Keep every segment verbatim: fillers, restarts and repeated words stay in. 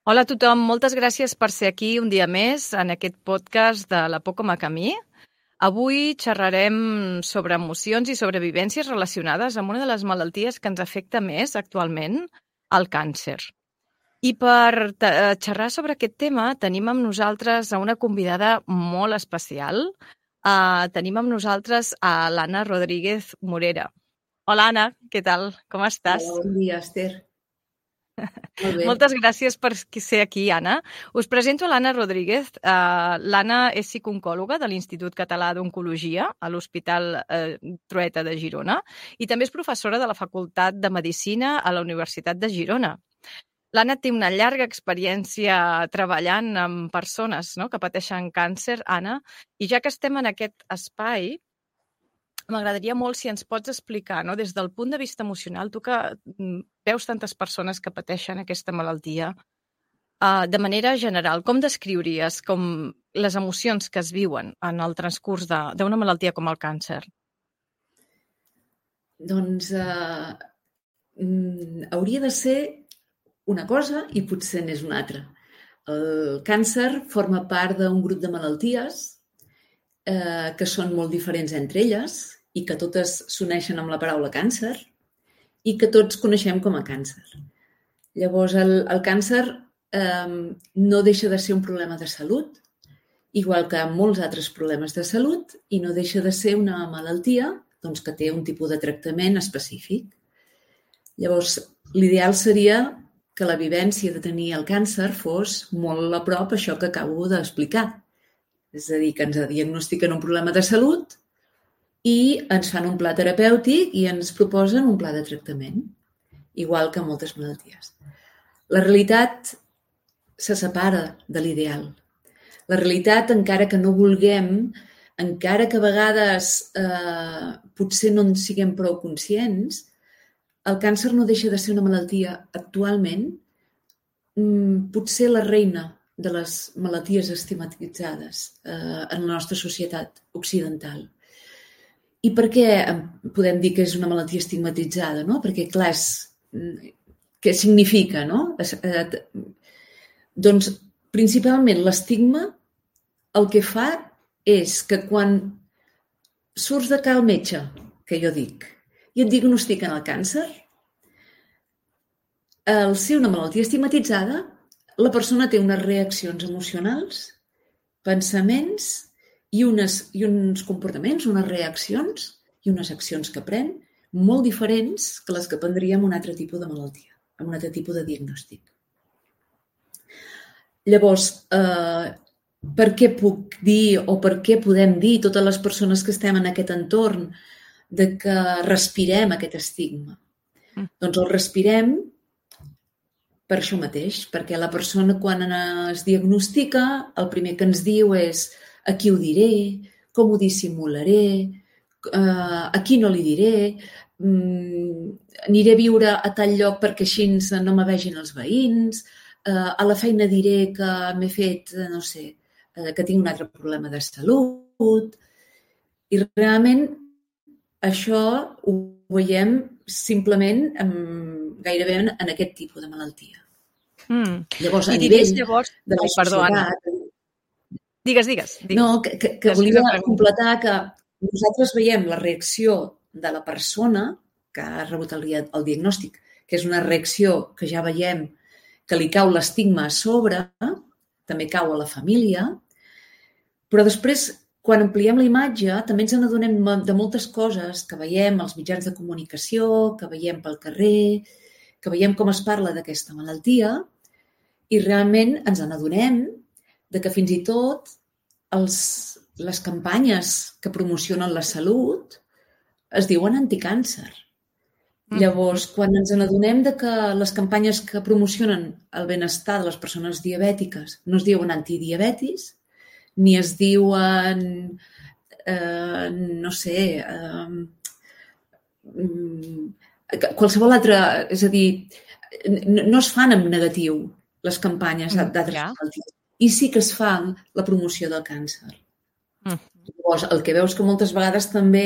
Hola a tothom, moltes gràcies per ser aquí un dia més en aquest podcast de La por com a camí. Avui xerrarem sobre emocions i sobre vivències relacionades amb una de les malalties que ens afecta més actualment, el càncer. I per xerrar sobre aquest tema tenim amb nosaltres a una convidada molt especial. Uh, tenim amb nosaltres a l'Anna Rodríguez Morera. Hola, Anna, què tal? Com estàs? Hola, bon dia, Esther. Molt bé. Moltes gràcies per ser aquí, Anna. Us presento l'Anna Rodríguez. Uh, L'Anna és psicooncòloga de l'Institut Català d'Oncologia a l'Hospital uh, Trueta de Girona i també és professora de la Facultat de Medicina a la Universitat de Girona. L'Anna té una llarga experiència treballant amb persones, no?, que pateixen càncer, Anna, i ja que estem en aquest espai, m'agradaria molt si ens pots explicar, no?, des del punt de vista emocional, tu que veus tantes persones que pateixen aquesta malaltia, uh, de manera general, com descriuries com les emocions que es viuen en el transcurs d'una malaltia com el càncer? Doncs uh, mm, hauria de ser una cosa i potser n'és una altra. El càncer forma part d'un grup de malalties eh, que són molt diferents entre elles i que totes s'uneixen amb la paraula càncer i que tots coneixem com a càncer. Llavors, el, el càncer eh, no deixa de ser un problema de salut, igual que molts altres problemes de salut, i no deixa de ser una malaltia doncs, que té un tipus de tractament específic. Llavors, l'ideal seria que la vivència de tenir el càncer fos molt a prop això que acabo d'explicar. És a dir, que ens diagnostiquen un problema de salut i ens fan un pla terapèutic i ens proposen un pla de tractament, igual que moltes malalties. La realitat se separa de l'ideal. La realitat, encara que no vulguem, encara que a vegades eh, potser no en siguem prou conscients, el càncer no deixa de ser una malaltia actualment, potser la reina de les malalties estigmatitzades eh, en la nostra societat occidental. I per què podem dir que és una malaltia estigmatitzada? No? Perquè, clar, és, què significa? No? Eh, doncs, principalment, l'estigma el que fa és que quan surts de cal metge, que jo dic, i et diagnostiquen el càncer, al ser una malaltia estigmatitzada, la persona té unes reaccions emocionals, pensaments i, unes, i uns comportaments, unes reaccions i unes accions que pren molt diferents que les que prendria amb un altre tipus de malaltia, amb un altre tipus de diagnòstic. Llavors, eh, per què puc dir o per què podem dir totes les persones que estem en aquest entorn de que respirem aquest estigma? Mm. Doncs el respirem per això mateix, perquè la persona quan es diagnostica el primer que ens diu és a qui ho diré, com ho dissimularé, a qui no li diré, aniré a viure a tal lloc perquè així no me vegin els veïns, a la feina diré que m'he fet, no sé, que tinc un altre problema de salut. I realment això ho veiem simplement gairebé en aquest tipus de malaltia. Mm. Llavors, a I nivell llavors... de la Ai, perdó, societat... Anna. Digues, digues. digues. No, que, que, que volia completar que nosaltres veiem la reacció de la persona que ha rebut el, el diagnòstic, que és una reacció que ja veiem que li cau l'estigma a sobre, també cau a la família, però després, quan ampliem la imatge, també ens n'adonem de moltes coses que veiem als mitjans de comunicació, que veiem pel carrer, que veiem com es parla d'aquesta malaltia, i realment ens n'adonem de que fins i tot els, les campanyes que promocionen la salut es diuen anticàncer. Mm. Llavors, quan ens n'adonem de que les campanyes que promocionen el benestar de les persones diabètiques no es diuen antidiabetis, ni es diuen, eh, no sé, eh, qualsevol altra... És a dir, no, no es fan en negatiu les campanyes d'altres yeah. malalties. I sí que es fa la promoció del càncer. Mm. Llavors, el que veus que moltes vegades també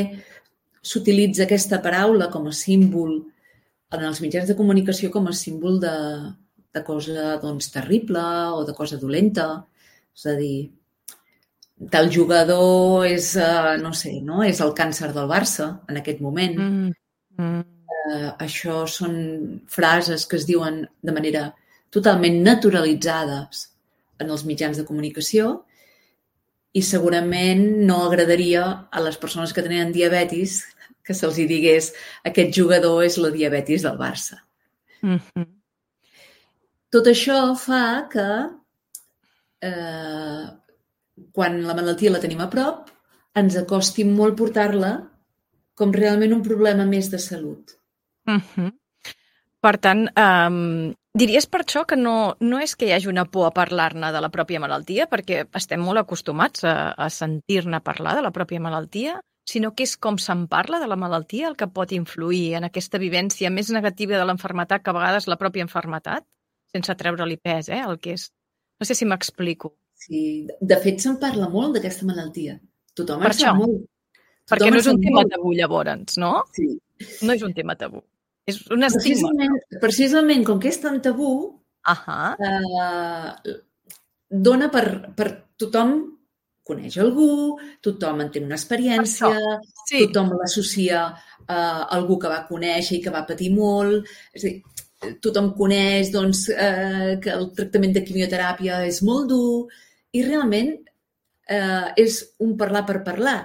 s'utilitza aquesta paraula com a símbol en els mitjans de comunicació com a símbol de, de cosa doncs, terrible o de cosa dolenta. És a dir, tal jugador és, uh, no sé, no? És el càncer del Barça en aquest moment. Mm. Mm. Uh, això són frases que es diuen de manera totalment naturalitzades en els mitjans de comunicació i segurament no agradaria a les persones que tenen diabetis que se'ls digués aquest jugador és la diabetis del Barça. Mm-hmm. Tot això fa que eh, quan la malaltia la tenim a prop, ens acosti molt portar-la com realment un problema més de salut. Mm-hmm. Per tant, um, diries per això que no, no és que hi hagi una por a parlar-ne de la pròpia malaltia, perquè estem molt acostumats a, a sentir-ne parlar de la pròpia malaltia, sinó que és com se'n parla de la malaltia el que pot influir en aquesta vivència més negativa de l'enfermetat que a vegades la pròpia enfermetat, sense treure-li pes, eh, el que és. No sé si m'explico. Sí, de fet se'n parla molt d'aquesta malaltia. Tothom per en sap molt. Tothom perquè no és un tema molt. tabú, llavors, no? Sí. No és un tema tabú. És un estigma. Precisament, precisament com que és tan tabú, uh-huh. eh, dona per, per tothom coneix algú, tothom en té una experiència, sí. tothom l'associa a algú que va conèixer i que va patir molt. És a dir, tothom coneix doncs, eh, que el tractament de quimioteràpia és molt dur i realment eh, és un parlar per parlar.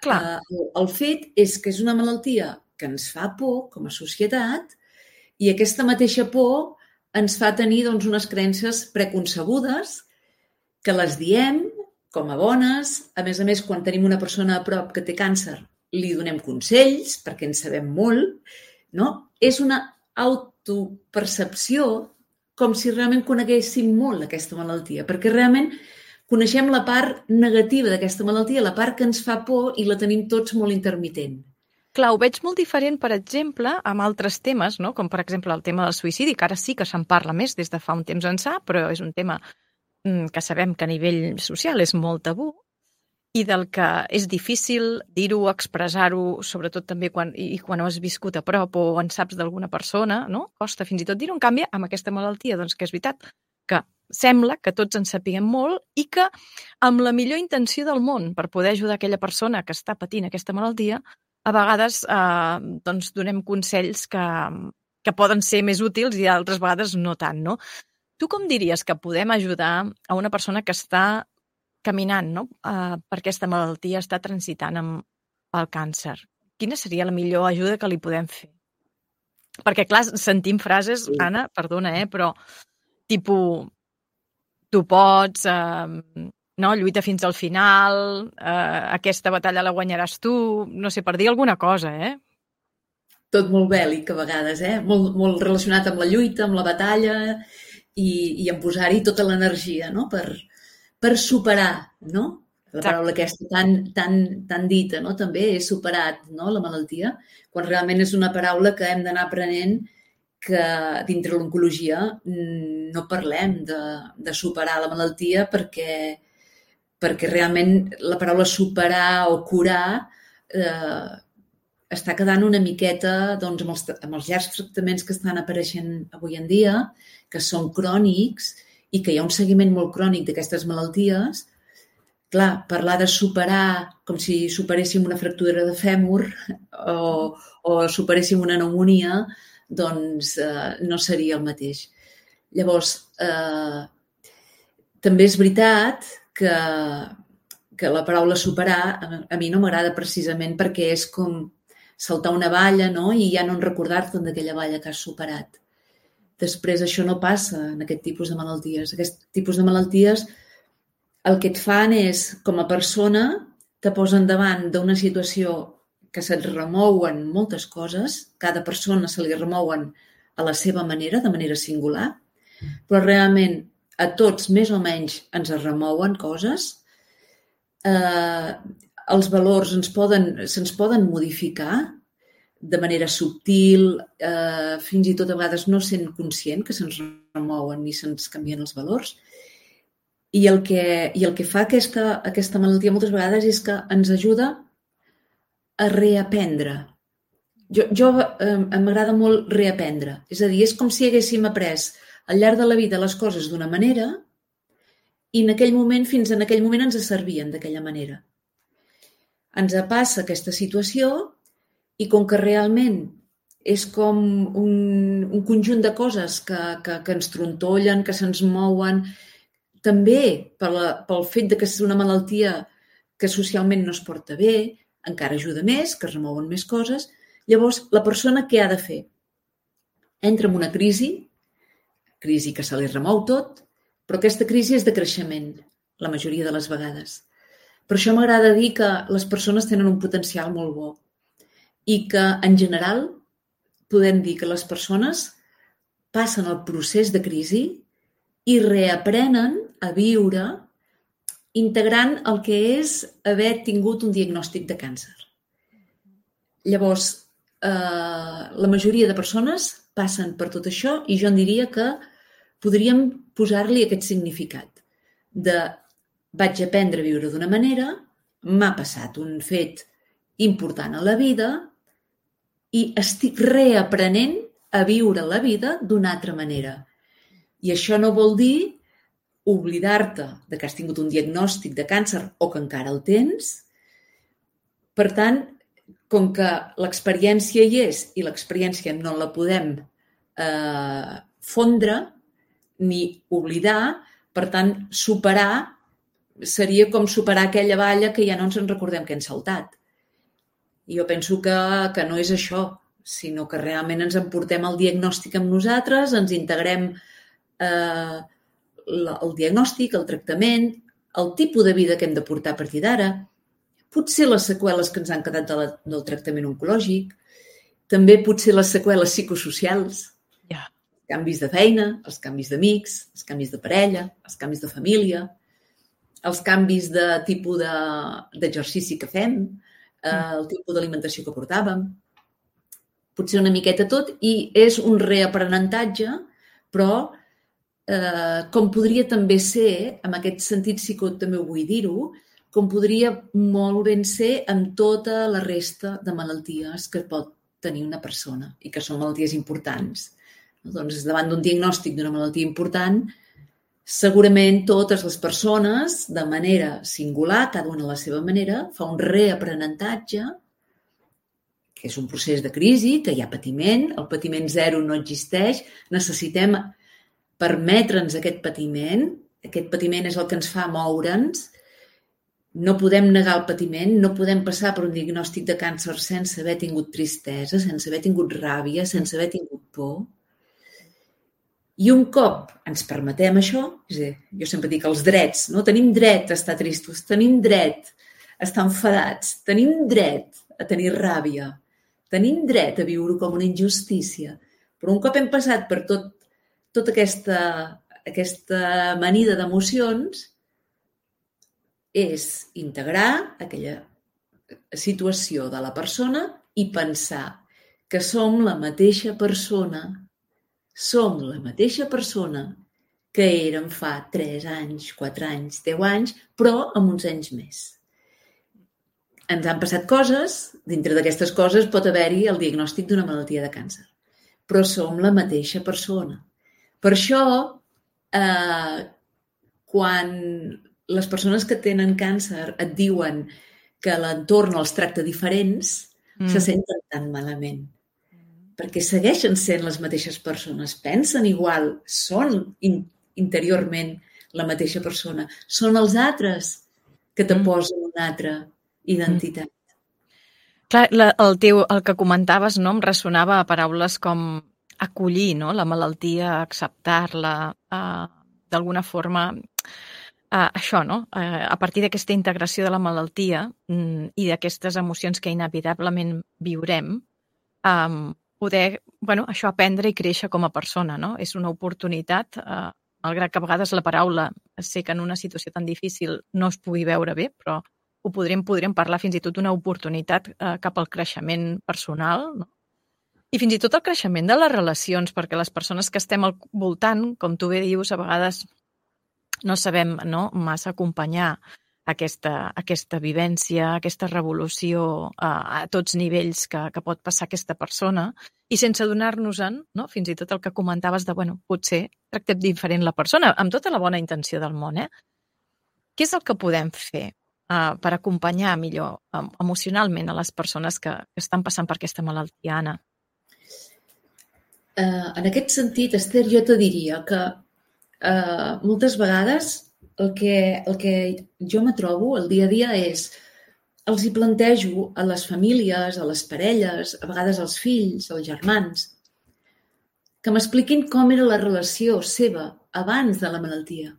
Clar. Eh, el fet és que és una malaltia que ens fa por com a societat i aquesta mateixa por ens fa tenir doncs, unes creences preconcebudes que les diem com a bones. A més a més, quan tenim una persona a prop que té càncer, li donem consells perquè en sabem molt. No? És una autopercepció com si realment coneguéssim molt aquesta malaltia, perquè realment coneixem la part negativa d'aquesta malaltia, la part que ens fa por i la tenim tots molt intermitent. Clar, ho veig molt diferent, per exemple, amb altres temes, no? Com per exemple el tema del suïcidi, que ara sí que se'n parla més des de fa un temps ençà, però és un tema que sabem que a nivell social és molt tabú i del que és difícil dir-ho, expressar-ho, sobretot també quan, i quan ho has viscut a prop o en saps d'alguna persona, no? Costa fins i tot dir-ho. En canvi, amb aquesta malaltia, doncs que és veritat que sembla que tots en sapiguem molt i que amb la millor intenció del món per poder ajudar aquella persona que està patint aquesta malaltia, a vegades eh, doncs donem consells que, que poden ser més útils i altres vegades no tant, no? Tu com diries que podem ajudar a una persona que està caminant, no? Uh, per aquesta malaltia, està transitant amb el càncer? Quina seria la millor ajuda que li podem fer? Perquè, clar, sentim frases, sí. Anna, perdona, eh, però tipus, tu pots, uh, no, lluita fins al final, uh, aquesta batalla la guanyaràs tu, no sé, per dir alguna cosa, eh? Tot molt bèl·lic, a vegades, eh? Molt, molt relacionat amb la lluita, amb la batalla i, i en posar-hi tota l'energia, no? Per, per superar, no? La paraula aquesta tan, tan, tan dita, no? També he superat, no? La malaltia, quan realment és una paraula que hem d'anar aprenent que dintre l'oncologia no parlem de, de superar la malaltia perquè, perquè realment la paraula superar o curar eh, està quedant una miqueta doncs, amb, els, amb els llargs tractaments que estan apareixent avui en dia, que són crònics i que hi ha un seguiment molt crònic d'aquestes malalties. Clar, parlar de superar com si superéssim una fractura de fèmur o, o superéssim una pneumònia, doncs eh, no seria el mateix. Llavors, eh, també és veritat que, que la paraula superar a, a mi no m'agrada precisament perquè és com saltar una valla, no? I ja no en recordar-te'n d'aquella valla que has superat. Després això no passa en aquest tipus de malalties. Aquest tipus de malalties el que et fan és, com a persona, te posen davant d'una situació que se't remouen moltes coses, cada persona se li remouen a la seva manera, de manera singular, però realment a tots més o menys ens remouen coses. Eh, els valors ens poden, se'ns poden modificar de manera subtil, eh, fins i tot a vegades no sent conscient que se'ns remouen ni se'ns canvien els valors. I el que, i el que fa aquesta, aquesta malaltia moltes vegades és que ens ajuda a reaprendre. Jo, jo eh, m'agrada molt reaprendre. És a dir, és com si haguéssim après al llarg de la vida les coses d'una manera i en aquell moment, fins en aquell moment ens servien d'aquella manera. Ens passa aquesta situació i com que realment és com un, un conjunt de coses que, que, que ens trontollen, que se'ns mouen, també per la, pel fet de que és una malaltia que socialment no es porta bé, encara ajuda més, que es remouen més coses. Llavors, la persona què ha de fer? Entra en una crisi, crisi que se li remou tot, però aquesta crisi és de creixement, la majoria de les vegades. Per això m'agrada dir que les persones tenen un potencial molt bo i que, en general, podem dir que les persones passen el procés de crisi i reaprenen a viure integrant el que és haver tingut un diagnòstic de càncer. Llavors, eh, la majoria de persones passen per tot això i jo en diria que podríem posar-li aquest significat de vaig aprendre a viure d'una manera, m'ha passat un fet important a la vida i estic reaprenent a viure la vida d'una altra manera. I això no vol dir oblidar-te de que has tingut un diagnòstic de càncer o que encara el tens. Per tant, com que l'experiència hi és i l'experiència no la podem eh, fondre ni oblidar, per tant, superar seria com superar aquella valla que ja no ens en recordem que hem saltat. I jo penso que, que no és això, sinó que realment ens emportem el diagnòstic amb nosaltres, ens integrem eh, el diagnòstic, el tractament, el tipus de vida que hem de portar a partir d'ara, potser les seqüeles que ens han quedat de la, del tractament oncològic, també potser les seqüeles psicosocials, yeah. els canvis de feina, els canvis d'amics, els canvis de parella, els canvis de família, els canvis de tipus d'exercici que fem, eh, el tipus d'alimentació que portàvem, potser una miqueta tot, i és un reaprenentatge, però eh, com podria també ser, en aquest sentit sí que també ho vull dir-ho, com podria molt ben ser amb tota la resta de malalties que pot tenir una persona i que són malalties importants. Doncs davant d'un diagnòstic d'una malaltia important, segurament totes les persones, de manera singular, cada una a la seva manera, fa un reaprenentatge, que és un procés de crisi, que hi ha patiment, el patiment zero no existeix, necessitem permetre'ns aquest patiment, aquest patiment és el que ens fa moure'ns, no podem negar el patiment, no podem passar per un diagnòstic de càncer sense haver tingut tristesa, sense haver tingut ràbia, sense haver tingut por. I un cop ens permetem això, és a dir, jo sempre dic els drets, no? Tenim dret a estar tristos, tenim dret a estar enfadats, tenim dret a tenir ràbia, tenim dret a viure com una injustícia. Però un cop hem passat per tot, tota aquesta, aquesta amanida d'emocions, és integrar aquella situació de la persona i pensar que som la mateixa persona Som la mateixa persona que érem fa tres anys, quatre anys, deu anys, però amb uns anys més. Ens han passat coses, dintre d'aquestes coses pot haver-hi el diagnòstic d'una malaltia de càncer, però som la mateixa persona. Per això, eh, quan les persones que tenen càncer et diuen que l'entorn els tracta diferents, mm. se senten tan malament. Perquè segueixen sent les mateixes persones, pensen igual, són in, interiorment la mateixa persona. Són els altres que te posen una altra identitat. Mm. Clar, la, el, teu, el que comentaves, no, em ressonava a paraules com acollir, no, la malaltia, acceptar-la, eh, d'alguna forma, eh, això, no? Eh, a partir d'aquesta integració de la malaltia mm, i d'aquestes emocions que inevitablement viurem, eh, poder, bueno, això aprendre i créixer com a persona, no? És una oportunitat, eh, malgrat que a vegades la paraula sé que en una situació tan difícil no es pugui veure bé, però ho podríem, podríem parlar fins i tot d'una oportunitat eh, cap al creixement personal, no? I fins i tot el creixement de les relacions, perquè les persones que estem al voltant, com tu bé dius, a vegades no sabem, no, massa acompanyar aquesta, aquesta vivència, aquesta revolució a, a tots nivells que, que pot passar aquesta persona i sense donar-nos-en, no? Fins i tot el que comentaves de, bueno, potser tractem diferent la persona, amb tota la bona intenció del món, eh? Què és el que podem fer uh, per acompanyar millor um, emocionalment a les persones que, que estan passant per aquesta malaltia, Anna? Uh, en aquest sentit, Esther, jo te diria que uh, moltes vegades el que, el que jo me trobo el dia a dia és, els hi plantejo a les famílies, a les parelles, a vegades als fills, als germans, que m'expliquin com era la relació seva abans de la malaltia.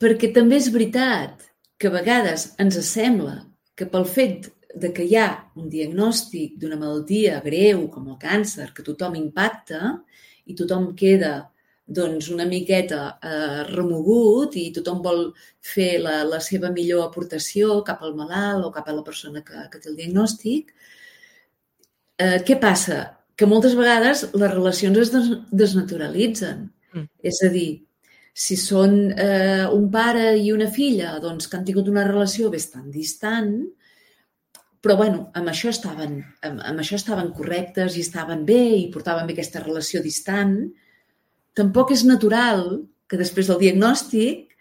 Perquè també és veritat que a vegades ens sembla que pel fet de que hi ha un diagnòstic d'una malaltia greu com el càncer, que tothom impacta i tothom queda doncs, una miqueta eh, remogut i tothom vol fer la, la seva millor aportació cap al malalt o cap a la persona que, que té el diagnòstic. Eh, què passa? Que moltes vegades les relacions es des desnaturalitzen. Mm. És a dir, si són eh, un pare i una filla doncs, que han tingut una relació bastant distant, però bueno, amb això estaven, amb, amb això estaven correctes i estaven bé i portaven bé aquesta relació distant, tampoc és natural que després del diagnòstic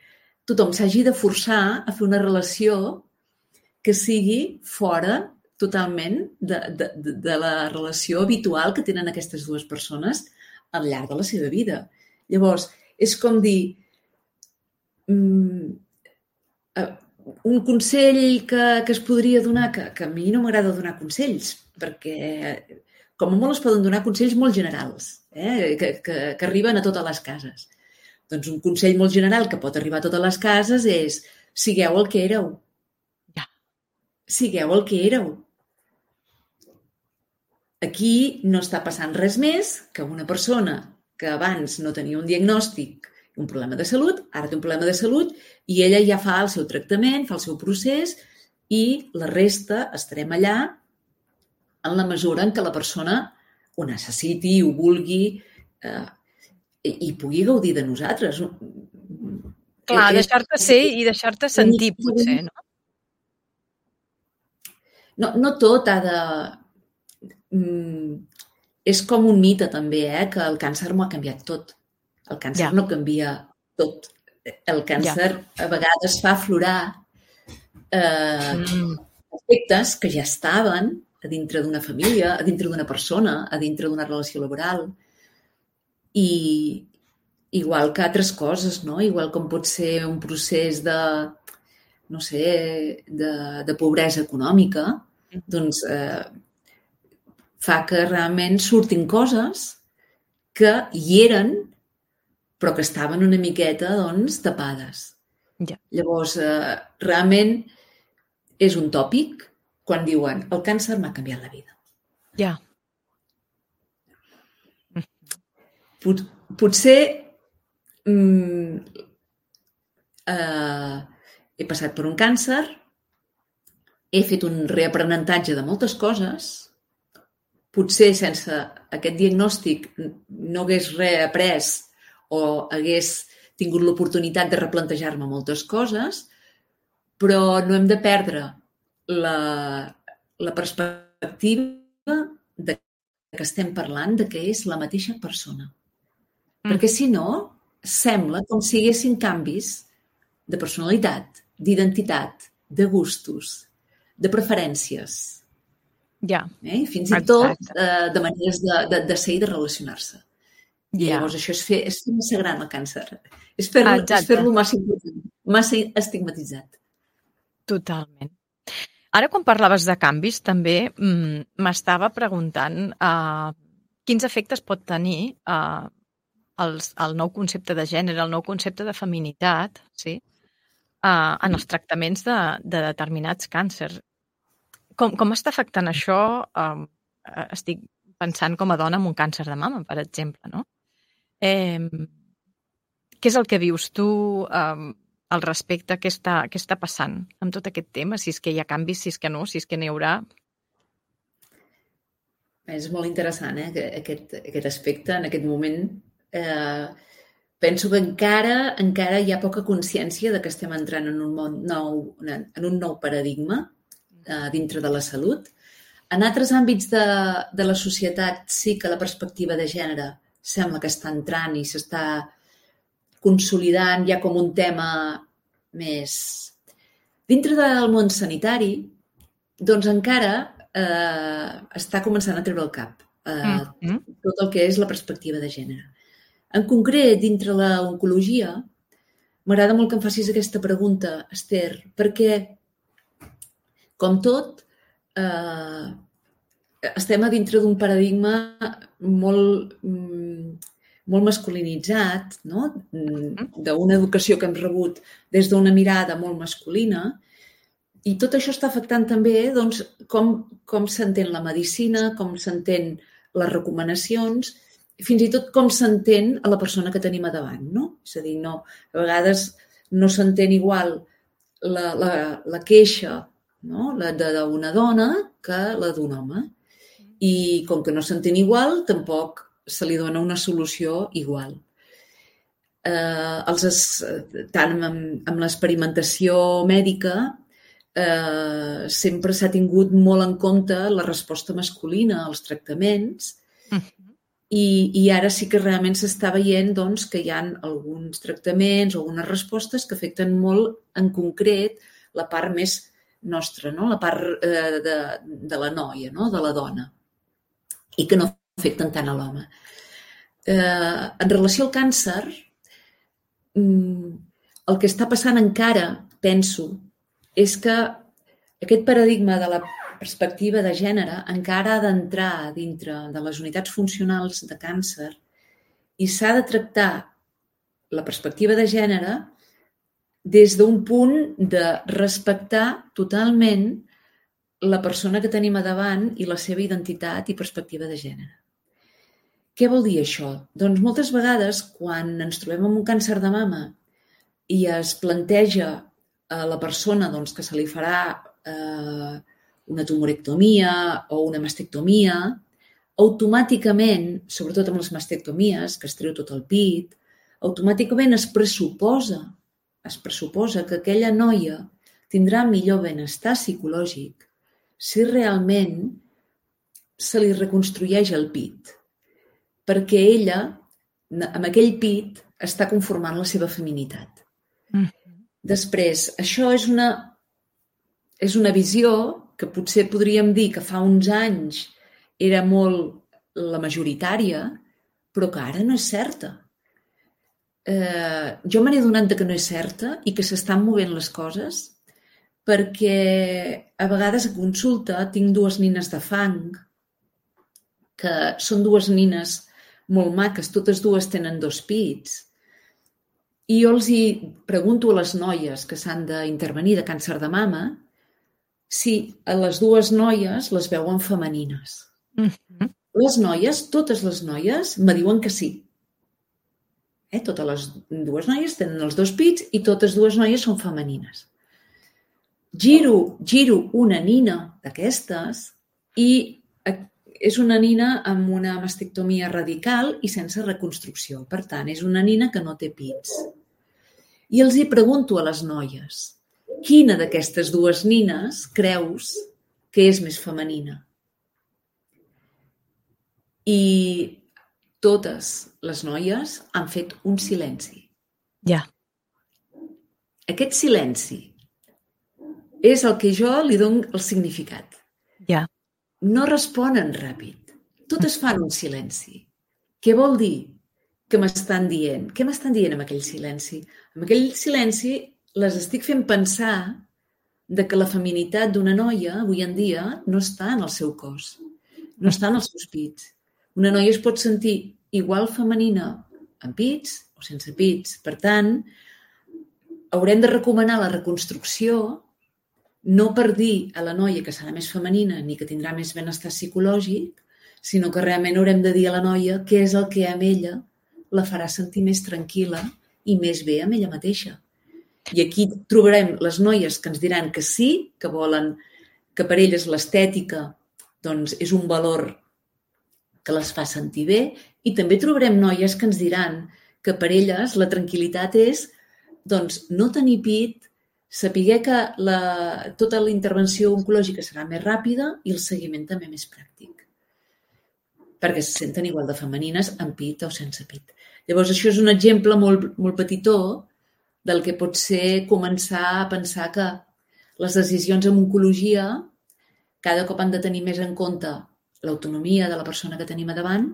tothom s'hagi de forçar a fer una relació que sigui fora totalment de, de, de la relació habitual que tenen aquestes dues persones al llarg de la seva vida. Llavors, és com dir, um, un consell que, que es podria donar, que, que a mi no m'agrada donar consells, perquè com a molt es poden donar consells molt generals, eh? que, que, que arriben a totes les cases. Doncs un consell molt general que pot arribar a totes les cases és sigueu el que éreu. Ja. Sigueu el que éreu. Aquí no està passant res més que una persona que abans no tenia un diagnòstic, un problema de salut, ara té un problema de salut i ella ja fa el seu tractament, fa el seu procés i la resta estarem allà en la mesura en què la persona ho necessiti, ho vulgui eh, i pugui gaudir de nosaltres. Clar, deixar-te ser i deixar-te sentir, potser, no? No, no tot ha de... Mm, és com un mite, també, eh? Que el càncer m'ho ha canviat tot. El càncer ja. no canvia tot. El càncer ja. a vegades fa aflorar eh, mm. aspectes que ja estaven a dintre d'una família, a dintre d'una persona, a dintre d'una relació laboral. I igual que altres coses, no? Igual com pot ser un procés de, no sé, de, de pobresa econòmica, mm. doncs eh, fa que realment surtin coses que hi eren, però que estaven una miqueta, doncs, tapades. Ja. Llavors, eh, realment és un tòpic quan diuen el càncer m'ha canviat la vida. Ja. Pot, potser mm, eh, he passat per un càncer, he fet un reaprenentatge de moltes coses, potser sense aquest diagnòstic no hagués reaprès o hagués tingut l'oportunitat de replantejar-me moltes coses, però no hem de perdre la, la perspectiva de que estem parlant de que és la mateixa persona. Mm. Perquè si no, sembla com si hi haguessin canvis de personalitat, d'identitat, de gustos, de preferències. Ja. Eh? Fins i tot eh, de maneres de, de, de ser i de relacionar-se. I ja. Llavors això és fer, és fer massa gran el càncer. És fer-lo fer massa, massa estigmatitzat. Totalment. Ara, quan parlaves de canvis, també m'estava preguntant uh, quins efectes pot tenir uh, els, el nou concepte de gènere, el nou concepte de feminitat, sí? uh, en els tractaments de, de determinats càncers. Com, com està afectant això? Uh, estic pensant com a dona amb un càncer de mama, per exemple, no? Eh, què és el que vius tu eh, al respecte? Què està, què està passant amb tot aquest tema? Si és que hi ha canvis, si és que no, si és que n'hi haurà. És molt interessant, eh, aquest, aquest aspecte. En aquest moment eh, penso que encara encara hi ha poca consciència de que estem entrant en un món nou, en un nou paradigma eh, dintre de la salut. En altres àmbits de, de la societat sí que la perspectiva de gènere sembla que està entrant i s'està consolidant ja com un tema més... Dintre del món sanitari, doncs encara eh, està començant a treure el cap eh, mm-hmm. tot el que és la perspectiva de gènere. En concret, dintre l'oncologia, m'agrada molt que em facis aquesta pregunta, Esther, perquè, com tot, eh, estem a dintre d'un paradigma molt, molt masculinitzat, no? D'una educació que hem rebut des d'una mirada molt masculina, i tot això està afectant també doncs, com, com s'entén la medicina, com s'entén les recomanacions, fins i tot com s'entén a la persona que tenim a davant, no? És a dir, no, a vegades no s'entén igual la, la, la queixa, no? La d'una dona que la d'un home. I com que no s'entén igual, tampoc se li dona una solució igual. Eh, els, tant amb, amb l'experimentació mèdica, eh, sempre s'ha tingut molt en compte la resposta masculina als tractaments i, i ara sí que realment s'està veient doncs, que hi ha alguns tractaments o algunes respostes que afecten molt en concret la part més nostra, no? La part eh, de, de la noia, no? De la dona, i que no afecten tant a l'home. Eh, en relació al càncer, el que està passant encara, penso, és que aquest paradigma de la perspectiva de gènere encara ha d'entrar dintre de les unitats funcionals de càncer i s'ha de tractar la perspectiva de gènere des d'un punt de respectar totalment la persona que tenim a davant i la seva identitat i perspectiva de gènere. Què vol dir això? Doncs moltes vegades, quan ens trobem amb un càncer de mama i es planteja a la persona doncs, que se li farà eh, una tumorectomia o una mastectomia, automàticament, sobretot amb les mastectomies, que es treu tot el pit, automàticament es pressuposa, es pressuposa que aquella noia tindrà millor benestar psicològic si realment se li reconstrueix el pit, perquè ella, amb aquell pit, està conformant la seva feminitat. Mm. Després, això és una, és una visió que potser podríem dir que fa uns anys era molt la majoritària, però que ara no és certa. Eh, jo me n'he adonat que no és certa i que s'estan movent les coses perquè a vegades a consulta tinc dues nines de fang que són dues nines molt maques, totes dues tenen dos pits, i jo els hi pregunto a les noies que s'han d'intervenir de càncer de mama si a les dues noies les veuen femenines. Mm-hmm. Les noies, totes les noies, me diuen que sí. Eh? Totes les dues noies tenen els dos pits i totes dues noies són femenines. Giro, giro una nina d'aquestes i és una nina amb una mastectomia radical i sense reconstrucció. Per tant, és una nina que no té pits. I els hi pregunto a les noies, quina d'aquestes dues nines creus que és més femenina? I totes les noies han fet un silenci. Ja. Aquest silenci és el que jo li dono el significat. Ja. No responen ràpid. Totes fan un silenci. Què vol dir? Què m'estan dient? Què m'estan dient amb aquell silenci? Amb aquell silenci les estic fent pensar de que la feminitat d'una noia avui en dia no està en el seu cos, no està en els seus pits. Una noia es pot sentir igual femenina amb pits o sense pits. Per tant, haurem de recomanar la reconstrucció no per dir a la noia que serà més femenina ni que tindrà més benestar psicològic, sinó que realment haurem de dir a la noia què és el que amb ella la farà sentir més tranquil·la i més bé amb ella mateixa. I aquí trobarem les noies que ens diran que sí, que volen, que per elles l'estètica doncs, és un valor que les fa sentir bé, i també trobarem noies que ens diran que per elles la tranquil·litat és doncs, no tenir pit, saber que la, tota la intervenció oncològica serà més ràpida i el seguiment també més pràctic. Perquè se senten igual de femenines amb pit o sense pit. Llavors, això és un exemple molt, molt petitó del que pot ser començar a pensar que les decisions en oncologia cada cop han de tenir més en compte l'autonomia de la persona que tenim a davant.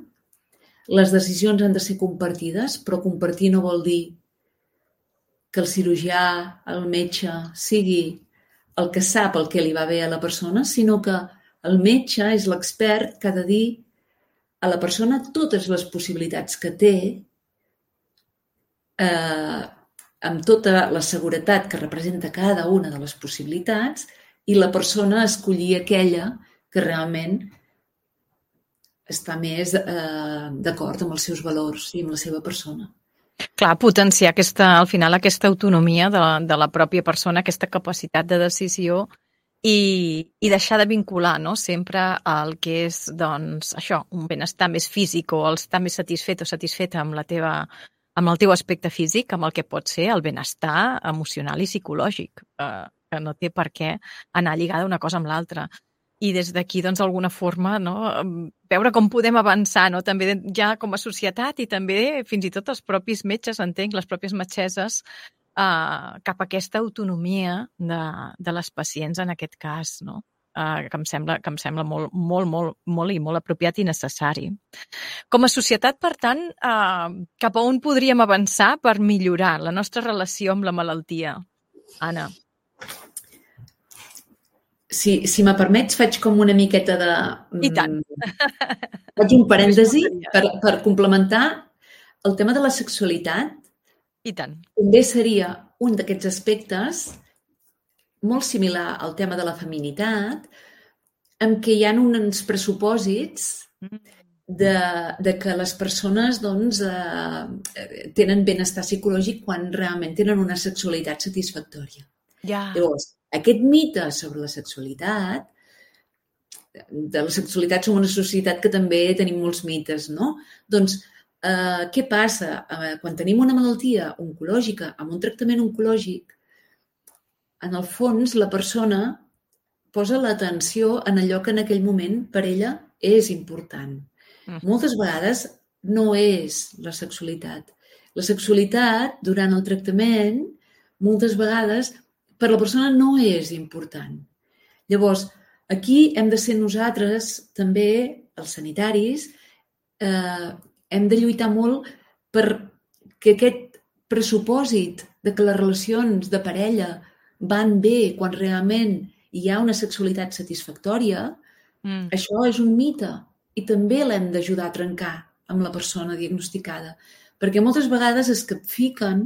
Les decisions han de ser compartides, però compartir no vol dir que el cirurgià, el metge, sigui el que sap el que li va bé a la persona, sinó que el metge és l'expert que ha de dir a la persona totes les possibilitats que té eh, amb tota la seguretat que representa cada una de les possibilitats i la persona escollir aquella que realment està més eh, d'acord amb els seus valors i amb la seva persona. Clar, potenciar aquesta, al final aquesta autonomia de la, de la pròpia persona, aquesta capacitat de decisió i, i deixar de vincular, no?, sempre al que és, doncs, això, un benestar més físic o el estar més satisfet o satisfeta amb, la teva, amb el teu aspecte físic, amb el que pot ser el benestar emocional i psicològic, eh, que no té per què anar lligada una cosa amb l'altra. I des d'aquí, doncs, d'alguna forma, no, veure com podem avançar, no?, també ja com a societat i també fins i tot els propis metges, entenc, les pròpies metgesses, eh, cap a aquesta autonomia de, de les pacients en aquest cas, no?, eh, que em sembla, que em sembla molt, molt, molt, molt i molt apropiat i necessari. Com a societat, per tant, eh, cap a on podríem avançar per millorar la nostra relació amb la malaltia? Anna. Si, si me permets, faig com una miqueta de... I tant. Faig un parèntesi per, per complementar el tema de la sexualitat. I tant. També seria un d'aquests aspectes molt similar al tema de la feminitat, en què hi ha uns pressupòsits de, de que les persones doncs, eh, tenen benestar psicològic quan realment tenen una sexualitat satisfactòria. Ja. Llavors, aquest mite sobre la sexualitat, de la sexualitat som una societat que també tenim molts mites, no? Doncs, eh, què passa? Eh, quan tenim una malaltia oncològica, amb un tractament oncològic, en el fons la persona posa l'atenció en allò que en aquell moment per ella és important. Mm. Moltes vegades no és la sexualitat. La sexualitat, durant el tractament, moltes vegades per la persona no és important. Llavors, aquí hem de ser nosaltres, també, els sanitaris, eh, hem de lluitar molt per que aquest pressupòsit de que les relacions de parella van bé quan realment hi ha una sexualitat satisfactòria, mm. això és un mite i també l'hem d'ajudar a trencar amb la persona diagnosticada. Perquè moltes vegades es capfiquen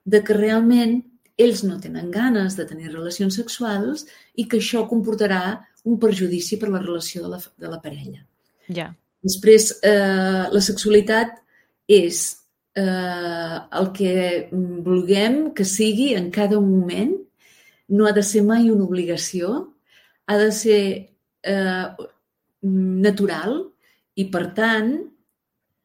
de que realment ells no tenen ganes de tenir relacions sexuals i que això comportarà un perjudici per la relació de la, de la parella. Ja. Després, eh, la sexualitat és eh, el que vulguem que sigui en cada moment, no ha de ser mai una obligació, ha de ser eh, natural i, per tant,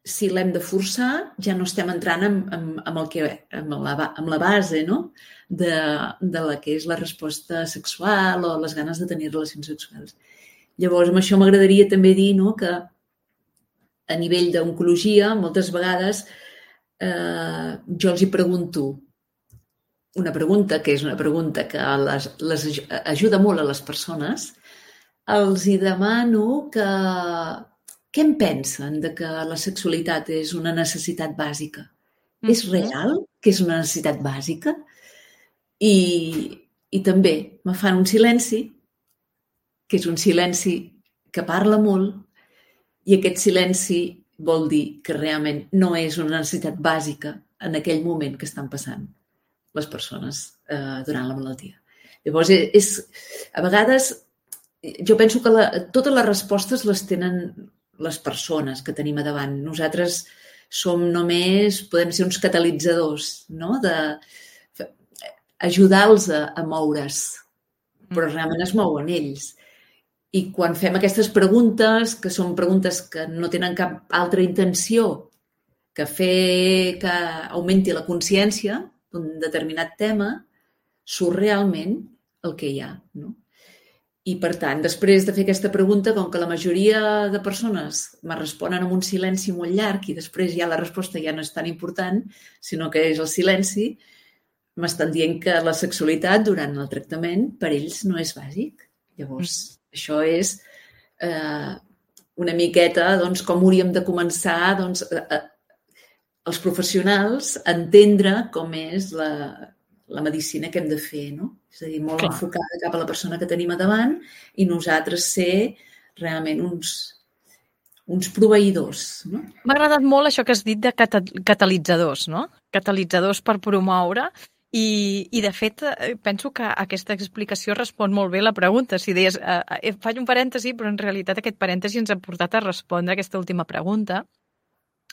si l'hem de forçar, ja no estem entrant amb, amb, amb, el que, amb, la, amb la base, no?, de, de la que és la resposta sexual o les ganes de tenir relacions sexuals. Llavors, amb això m'agradaria també dir, no?, que a nivell d'oncologia, moltes vegades eh, jo els hi pregunto una pregunta, que és una pregunta que les, les ajuda molt a les persones, els hi demano que què en pensen de que la sexualitat és una necessitat bàsica? Mm-hmm. És real que és una necessitat bàsica? I, i també me fan un silenci, que és un silenci que parla molt, i aquest silenci vol dir que realment no és una necessitat bàsica en aquell moment que estan passant les persones eh, durant la malaltia. Llavors, és, a vegades, jo penso que la, totes les respostes les tenen les persones que tenim a davant. Nosaltres som només, podem ser uns catalitzadors, no?, de ajudar-los a, a moure's, però realment es mouen ells. I quan fem aquestes preguntes, que són preguntes que no tenen cap altra intenció que fer que augmenti la consciència d'un determinat tema surt realment el que hi ha, no? I, per tant, després de fer aquesta pregunta, com que la majoria de persones me responen amb un silenci molt llarg i després ja la resposta ja no és tan important, sinó que és el silenci, m'estan dient que la sexualitat durant el tractament per ells no és bàsic. Llavors, mm. això és eh, una miqueta doncs, com hauríem de començar doncs, a, a, els professionals a entendre com és la, la medicina que hem de fer, no? És a dir, molt Clar. enfocada cap a la persona que tenim a davant i nosaltres ser realment uns, uns proveïdors, no? M'ha agradat molt això que has dit de cata catalitzadors, no? Catalitzadors per promoure i, i de fet, penso que aquesta explicació respon molt bé a la pregunta. Si deies, eh, faig un parèntesi, però en realitat aquest parèntesi ens ha portat a respondre aquesta última pregunta,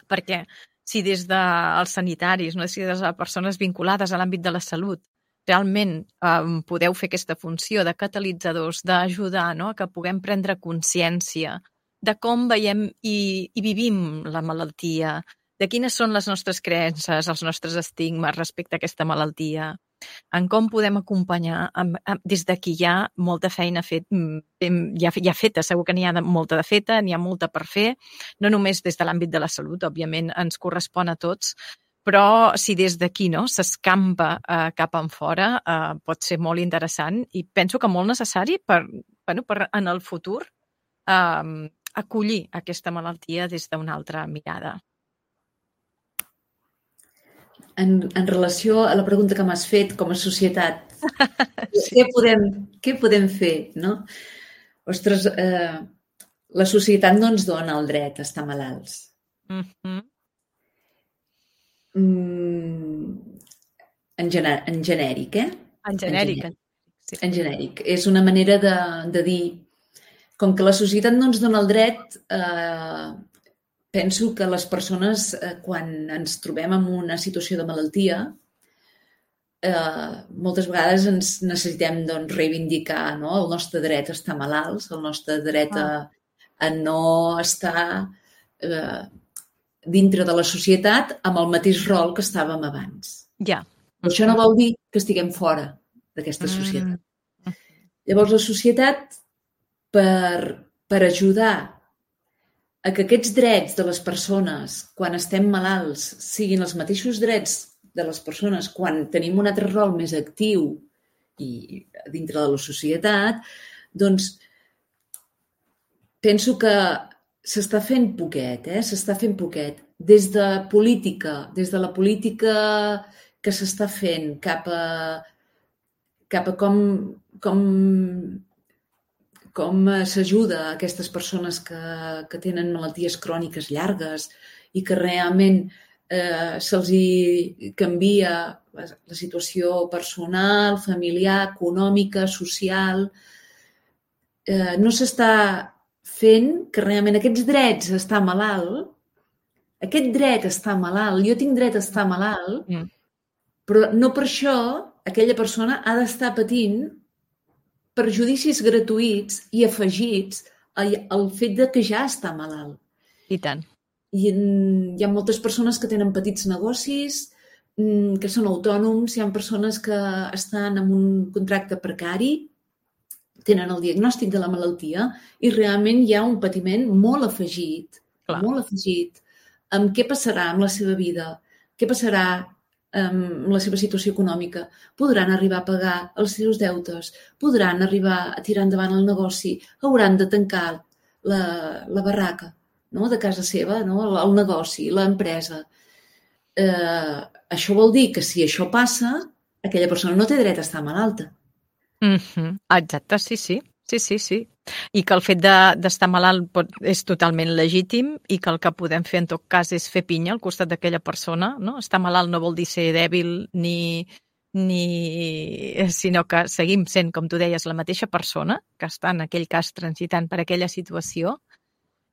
perquè si des dels sanitaris, no? Si des de les persones vinculades a l'àmbit de la salut, realment eh, podeu fer aquesta funció de catalitzadors, d'ajudar, no? Que puguem prendre consciència de com veiem i, i vivim la malaltia, de quines són les nostres creences, els nostres estigmes respecte a aquesta malaltia, en com podem acompanyar amb, amb, des d'aquí hi ha molta feina fet, ja, ja feta, segur que n'hi ha de, molta de feta, n'hi ha molta per fer, no només des de l'àmbit de la salut, òbviament ens correspon a tots, però si des d'aquí no, s'escampa eh, cap en fora, eh, pot ser molt interessant i penso que molt necessari per, bueno, per en el futur eh, acollir aquesta malaltia des d'una altra mirada. En, en relació a la pregunta que m'has fet com a societat, sí. què, podem, què podem fer, no? Ostres, eh, la societat no ens dona el dret a estar malalts. Mm-hmm. Mm, en, gener, en genèric, eh? En genèric. En genèric. Sí. En genèric. És una manera de, de dir, com que la societat no ens dona el dret, eh, penso que les persones, eh, quan ens trobem en una situació de malaltia, eh, moltes vegades ens necessitem doncs, reivindicar, no? El nostre dret a estar malalts, el nostre dret a, a no estar eh, dintre de la societat amb el mateix rol que estàvem abans. Ja. Però això no vol dir que estiguem fora d'aquesta societat. Mm. Llavors, la societat, per, per ajudar a que aquests drets de les persones, quan estem malalts, siguin els mateixos drets de les persones quan tenim un altre rol més actiu i dintre de la societat, doncs penso que s'està fent poquet, eh? S'està fent poquet. Des de política, des de la política que s'està fent cap a, cap a com, com, com s'ajuda a aquestes persones que, que tenen malalties cròniques llargues i que realment eh, se'ls hi canvia la, la situació personal, familiar, econòmica, social. Eh, no s'està fent que realment aquests drets a estar malalt, aquest dret a estar malalt, jo tinc dret a estar malalt, mm. però no per això aquella persona ha d'estar patint perjudicis gratuïts i afegits al fet de que ja està malalt. I tant. I hi ha moltes persones que tenen petits negocis, que són autònoms, hi ha persones que estan en un contracte precari, tenen el diagnòstic de la malaltia i realment hi ha un patiment molt afegit, Clar. molt afegit, amb què passarà amb la seva vida, què passarà amb la seva situació econòmica. Podran arribar a pagar els seus deutes, podran arribar a tirar endavant el negoci, hauran de tancar la, la barraca, no? De casa seva, no? el, el negoci, l'empresa. Eh, això vol dir que si això passa, aquella persona no té dret a estar malalta. Mm-hmm. Exacte, sí, sí. Sí, sí, sí. I que el fet d'estar malalt pot, és totalment legítim i que el que podem fer en tot cas és fer pinya al costat d'aquella persona, no? Estar malalt no vol dir ser dèbil ni, ni... sinó que seguim sent, com tu deies, la mateixa persona que està en aquell cas transitant per aquella situació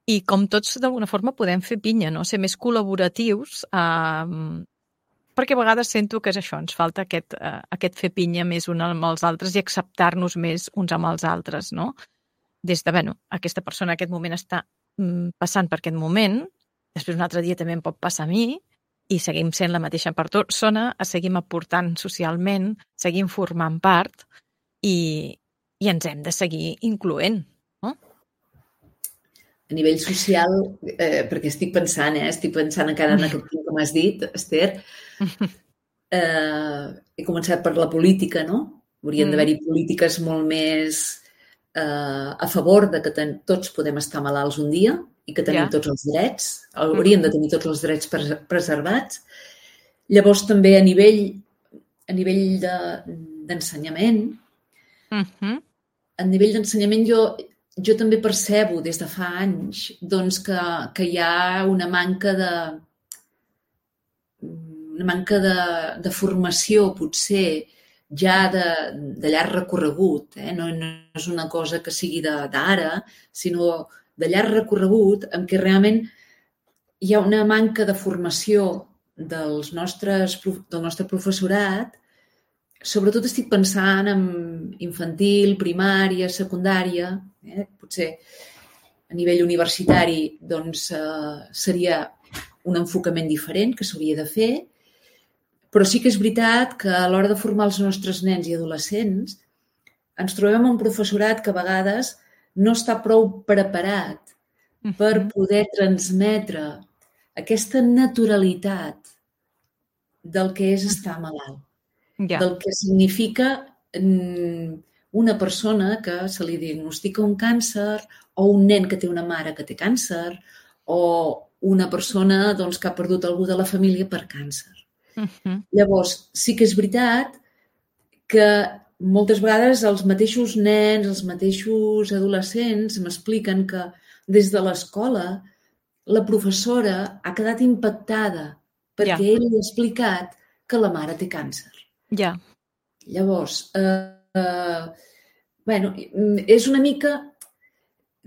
i com tots d'alguna forma podem fer pinya, no? Ser més col·laboratius eh, perquè a vegades sento que és això, ens falta aquest, eh, aquest fer pinya més uns amb els altres i acceptar-nos més uns amb els altres, no? Des de, bueno, aquesta persona en aquest moment està mm, passant per aquest moment, després un altre dia també em pot passar a mi, i seguim sent la mateixa persona, seguim aportant socialment, seguim formant part, i, i ens hem de seguir incloent, no? A nivell social, eh, perquè estic pensant, eh, estic pensant encara en aquest punt que m'has dit, Esther, eh, he començat per la política, no? Haurien mm. d'haver-hi polítiques molt més eh, a favor de que ten, tots podem estar malalts un dia i que tenim yeah. tots els drets, hauríem mm. de tenir tots els drets pres preservats. Llavors també a nivell, a nivell de, d'ensenyament, mm -hmm. a nivell d'ensenyament jo, jo també percebo des de fa anys doncs, que, que hi ha una manca de una manca de, de formació, potser, ja de, de llarg recorregut. Eh? No, no és una cosa que sigui d'ara, sinó de llarg recorregut en què realment hi ha una manca de formació dels nostres, del nostre professorat. Sobretot estic pensant en infantil, primària, secundària. Eh? Potser a nivell universitari doncs, eh, seria un enfocament diferent que s'hauria de fer. Però sí que és veritat que a l'hora de formar els nostres nens i adolescents ens trobem amb un professorat que a vegades no està prou preparat per poder transmetre aquesta naturalitat del que és estar malalt, yeah. del que significa una persona que se li diagnostica un càncer o un nen que té una mare que té càncer o una persona doncs, que ha perdut algú de la família per càncer. Uh-huh. Llavors, sí que és veritat que moltes vegades els mateixos nens, els mateixos adolescents m'expliquen que des de l'escola la professora ha quedat impactada perquè yeah. ell li ha explicat que la mare té càncer. Yeah. Llavors, eh, eh, bueno, és una mica...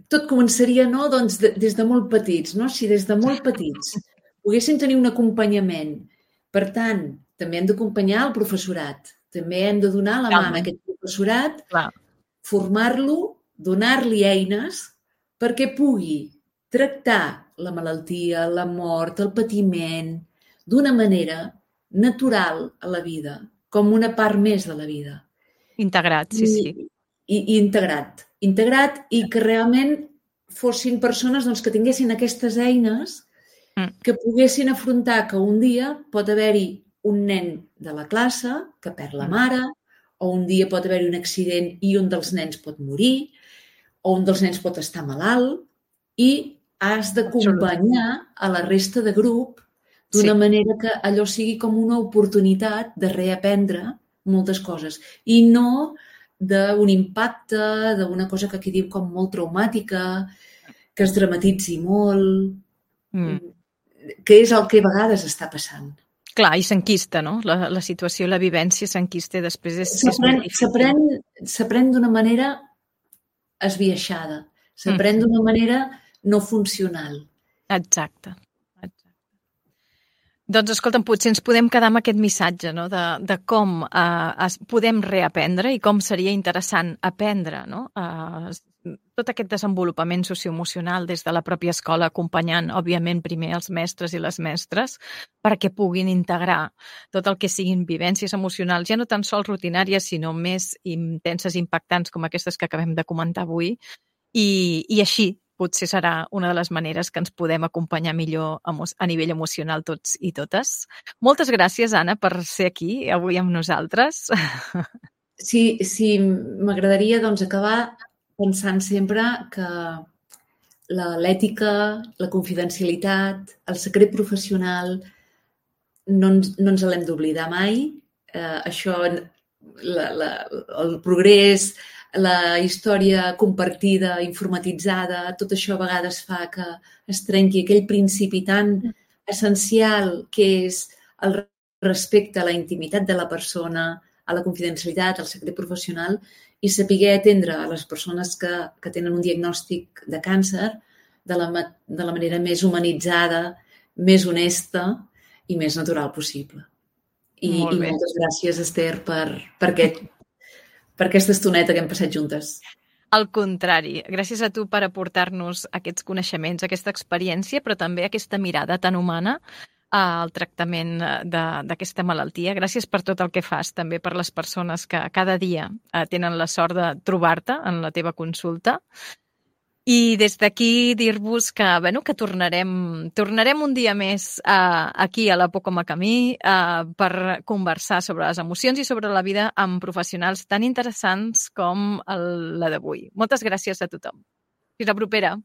Tot començaria no? doncs, de, des de molt petits. No? Si des de molt petits poguessin tenir un acompanyament. Per tant, també hem d'acompanyar el professorat. També hem de donar la mà a aquest professorat, Clar. formar-lo, donar-li eines perquè pugui tractar la malaltia, la mort, el patiment d'una manera natural a la vida, com una part més de la vida. Integrat, sí, I, sí. I, i integrat. Integrat i que realment fossin persones doncs, que tinguessin aquestes eines que poguessin afrontar que un dia pot haver-hi un nen de la classe que perd la mare, o un dia pot haver-hi un accident i un dels nens pot morir, o un dels nens pot estar malalt, i has d'acompanyar a la resta de grup d'una sí. manera que allò sigui com una oportunitat de reaprendre moltes coses. I no d'un impacte, d'una cosa que aquí diu com molt traumàtica, que es dramatitzi molt... Mm. que és el que a vegades està passant. Clar, i s'enquista, no? La, la situació, la vivència s'enquista i després és... S'aprèn d'una manera esbiaixada, s'aprèn mm. d'una manera no funcional. Exacte. Exacte. Doncs, escolta'm, potser ens podem quedar amb aquest missatge, no? de, de com eh, es, podem reaprendre i com seria interessant aprendre, no? Eh, tot aquest desenvolupament socioemocional des de la pròpia escola, acompanyant, òbviament, primer els mestres i les mestres, perquè puguin integrar tot el que siguin vivències emocionals, ja no tan sols rutinàries, sinó més intenses i impactants com aquestes que acabem de comentar avui, i, i així potser serà una de les maneres que ens podem acompanyar millor a nivell emocional tots i totes. Moltes gràcies, Anna, per ser aquí avui amb nosaltres. Sí, sí, m'agradaria doncs, acabar pensant sempre que l'ètica, la confidencialitat, el secret professional no ens, no ens l'hem d'oblidar mai. Eh, això, la, la, el progrés, la història compartida, informatitzada, tot això a vegades fa que es trenqui aquell principi tan essencial que és el respecte a la intimitat de la persona, a la confidencialitat, al secret professional, i saber atendre a les persones que, que tenen un diagnòstic de càncer de la, de la manera més humanitzada, més honesta i més natural possible. I, i moltes gràcies, Esther, per, per, aquest, per aquesta estoneta que hem passat juntes. Al contrari, gràcies a tu per aportar-nos aquests coneixements, aquesta experiència, però també aquesta mirada tan humana al tractament d'aquesta malaltia. Gràcies per tot el que fas, també per les persones que cada dia tenen la sort de trobar-te en la teva consulta. I des d'aquí dir-vos que, bueno, que tornarem, tornarem un dia més uh, aquí a la Por com a camí uh, per conversar sobre les emocions i sobre la vida amb professionals tan interessants com el, la d'avui. Moltes gràcies a tothom. Fins la propera.